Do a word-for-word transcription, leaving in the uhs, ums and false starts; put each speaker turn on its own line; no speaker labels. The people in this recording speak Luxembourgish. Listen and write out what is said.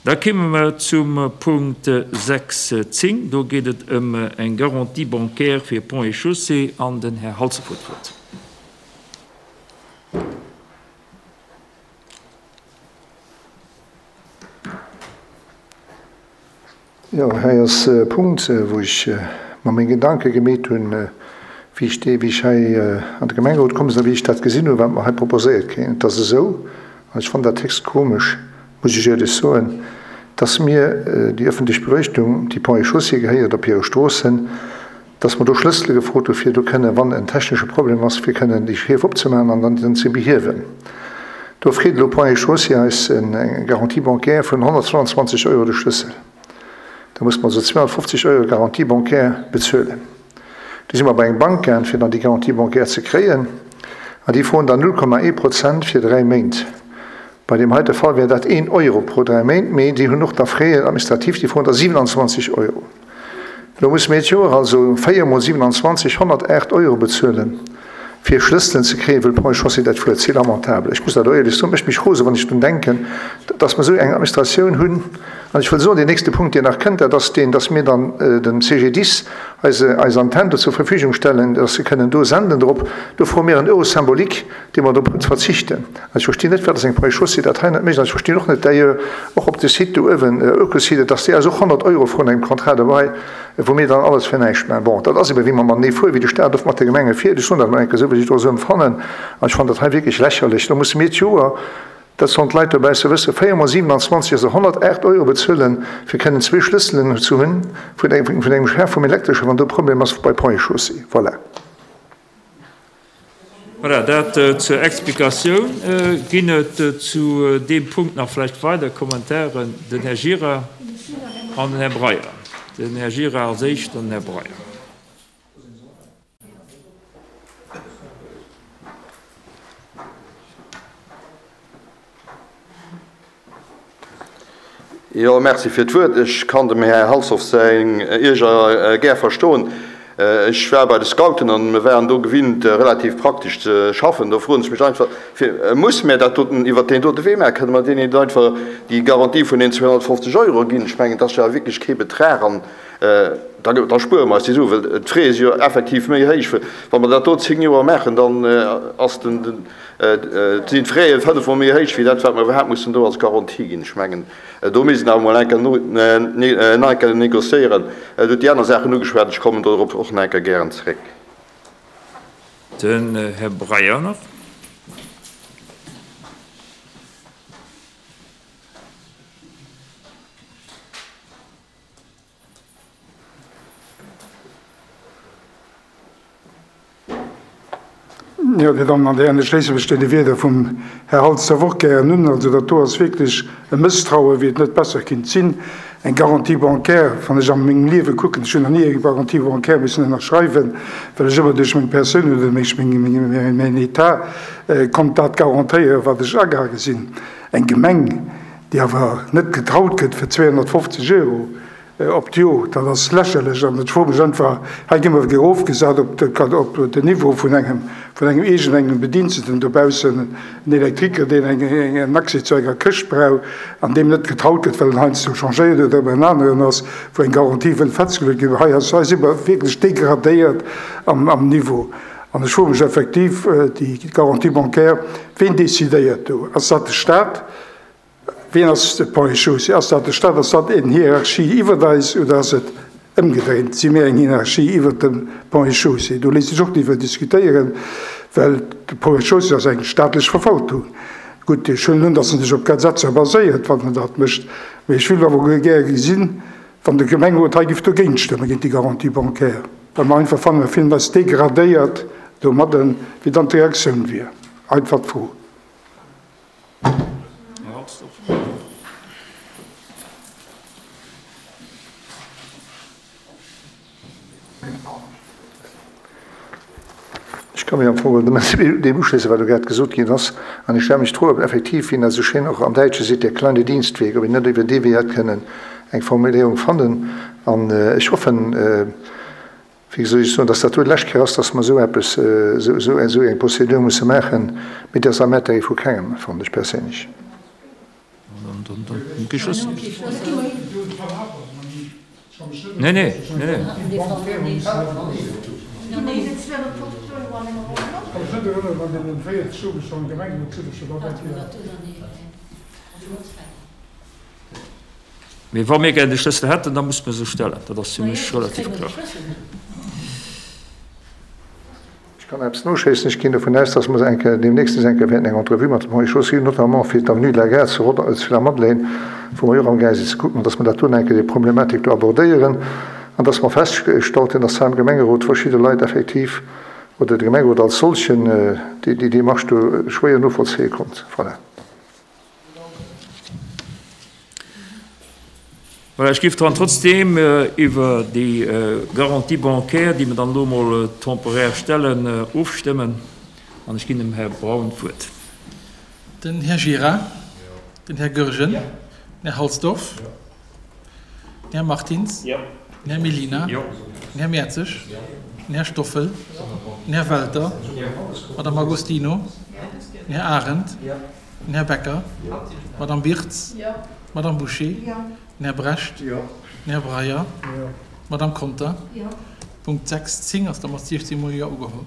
Da kéime mer zum Punkt sechs zéng. Do geet et ëm eng Garantie bancaire fir Ponts et Chaussées an den Här Halsdorf huet d'Wuert.
Jo, hei ass e Punkt, wou ech mer meng Gedanke gemeet hunn, wéi ech dee, wéi ech hei an de Gemengerot komm sinn a wéi ech dat gesinn hunn, wat mer hei proposéiert kréien. Et ass esou, an ech fannen dat héchst komesch, muss ech éierlech soen, dass mir déi öffentlech Beleuchtung, déi Ponts et Chaussées gehéiert op hire Stroossen, dass mer do Schlëssele gefrot hu fir do kënnen, wann en technesche Problem ass, fir kënnen déi Schief opzemaachen an dann ze behiewen. Do freet elo Ponts et Chaussées eis eng Garantie bancaire vun honnertzweiandzwanzeg Euro de Schlëssel. Da musse mer also zweehonnertfofzeg Euro Garantie bancaire bezuelen. Du si mer bei eng Bank gaang, fir dann déi Garantie bancaire ze kréien, an déi froen dann null Komma ee Prozent fir dräi Méint. Bei deem heite Fall wär dat een Euro pro dräi Méint, mee déi hunn och da Frais administratifs, déi froen da siewenandzwanzeg Euro. Elo musse mir d'Joer also véier mol siewenandzwanzeg, honnertaacht Euro bezuelen, fir Schlësselen ze kréien, wëll Ponts et Chaussées dat fuert. C'est lamentable. Ech muss dat och éierlech soen, mécht mech rose wann ech drun denken, dass mer esou eng Administratioun hunn. An ech wëll soen, deen nächste Punkt, deen nach kënnt, dat ass deen, dass mir dann dem C G D I S eise, eis Antenn do zur Verfügung stellen, dass se kënnen do senden drop. Do froe mir en Euro symbolique, dee mer drop verzichten. An ech verstinn net, wat ass eng Ponts et Chaussées dat hei net mécht. An ech verstinn och net, d'ailleurs och op de Site do uewen, Ökosite, dass déi eis och honnert Euro froen engem Contrat de bail, wou mir dann alles fir näischt maachen. Bon, dat ass ebe wéi mer matenee fueren, wéi de Staat oft mat de Gemenge fiert. Ech soen dat emol eng Kéier esou, wéi ech et och esou empfannen. An ech fannen dat hei wierklech lächerlech. Do musse mir d'Joer, dat sollen d'Leit dobausse wëssen, véier mol siewenandzwanzeg, also honnertaacht Euro bezuelen, fir kënnen zwee Schlësselen ze hunn vun engem, vun engem Chef vum Elektresche, wann do e Problem ass bei Ponts et Chaussées. Voilà.
Voilà, dat zur Explikatioun. Ginn et zu deem Punkt nach vläicht weider Kommentaren? Den Här Gira an den Här Breyer. Den Här Gira als Éischt, dann den Här Breyer.
Jo, merci fir d'Wuert. Ech kann dem Här Halsdorf säin Ierger gär verstoen. Ech war bei de Scouten an mir waren do gewinnt, relativ praktesch ze schaffen. Do froen ech mech einfach, fir, Musse mir dat doten iwwert deen dote Wee maachen? Kënne mer deenen net einfach déi Garantie vun den zweehonnertfofzeg Euro ginn? Ech mengen, dat ass jo awer wierklech kee Betrag an da, da spuere mer eis déi Suen, well d'Frais si jo effektiv méi héich. Wa mer dat do zéng Joer maachen, dann ass den, den, sinn d'Fraie fënnefmol méi héich wéi dat, wat mer iwwerhaapt mussen do als Garantie ginn. Ech mengen, do misst een awer emol eng Kéier nach eng Kéier négociéieren. Dir hutt déi aner Saachen ugeschwat, ech kommen dorop och nach eng Kéier gären zeréck.
Den Här Breyer nach.
Jo, Dir Dammen an Dir Hären, ech schléisse mech deene Wierder vum Här Halsdorf och gären un. Also dat do ass wierklech e Mësstraue wéi et net besser kinnt sinn. Eng Garantie bancaire, wann ech a mengem Liewe kucken, ech hunn nach ni eng Garantie bancaire missen ënnerschreiwen, well ech ëmmer duerch meng Persoun oder duerch mäin État konnt dat garantéieren, wat ech agaange sinn. Eng Gemeng, déi awer net getraut gëtt fir zweehonnertfofzeg Euro op d'Jor, dat ass lächerlech. An ech froe mech einfach, hei gi mer erofgesat op den Niveau vun engem vun engem iergendengem Bediensteten dobaussen, en Elektriker, deen en Accès zu enger Këscht brauch an deem net getraut gëtt, well en heiansdo changéiert huet oder en aneren ass, wou eng Garantie wëll festgeluecht ginn. Hei ass, hei si mer wierklech degradéiert am Niveau. An ech froe mech effektiv, déi Garantie bancaire, ween decidéiert do? Ass dat de Stat? Wien ass de Point Chaussée? Ass dat de Stat? Ass dat eng Hierarchie iwwert eis oder ass et ëmgedréint? Si mir eng Hierarchie iwwert dem Pont et Chaussée? Do léisst sech och driwwer diskutéieren, well de Pont et Chaussée ass eng staatlech Verwaltung. Gutt, ech huelen un, datt en sech op Gesetzer baséiert, wann en dat mécht, mee ech wéilt awer gäre gesinn, wann de Gemengerot hei géif dogéint stëmmen, géint déi Garantie bancaire, well mer einfach fannen, mer fillen eis degradéiert domadden, wéi dann d'Reaktioun wier. Einfach d'Fro.
Ech ka mech am Fong geholl deem uschléissen, wat elo grad gesot ginn ass. An ech stelle mech d'Fro, ob effektiv, wéi een dat esou schéin och am Däitsche seet, der kleine Dienstweg, ob een net iwwer dee Wee hätt kënnen eng Formuléierung fannen. An ech hoffen, wéi soll ech soen, dass dat do d'lescht Kéier ass, dass mer esou eppes, esou eng Procédure musse maachen. Mee dat ass am Intérêt vu kengem, fannen ech perséinlech.
An dann, dann, dann kee Schlëssel. Nee, nee, nee, nee. Mee wa mir gär de Schlëssel hätten, da musse mer se stellen. Dat ass fir mech relativ kloer.
Ech kann eppes noschéissen. Ech ginn dovun aus, dass mer eng Kéier deemnächst eng Kéier wäerten eng Entrevue mat dem Henri Schoos hunn, notamment fir d'Avenue de la Gare zu Rodder, zu der Madeleine, wou mer jo och amgaang sinn ze kucken, dass mer dat do eng Kéier déi Problematik do abordéieren an dass mer festgestallt hunn, dass hei am Gemengerot verschidde Leit effektiv, oder de Gemengerot als solchen, déi déi Démarche do schwéier novollzéie konnt. Voilà.
Voilà, ech géif dann trotzdeem iwwer déi Garantie bancaire, déi mer dann elo emol temporaire stellen, ofstëmmen. An ech ginn dem Här Braun d'Wuert.
Den Här Gira. Den Här Goergen. Den Här Halsdorf. Den Här Martins. Den Här Mellina. Den Här Mertzig. Den Här Stoffel. Den Här Welter. D'Madame Agostino. Den Här Arendt. Den Här Becker. D'Madame Birtz. D'Madame Bouché. Den Här Brecht. Den Här Breyer. D'Madame Conter. Punkt sechs zéng ass da mat siechzéng mol Jo ugeholl.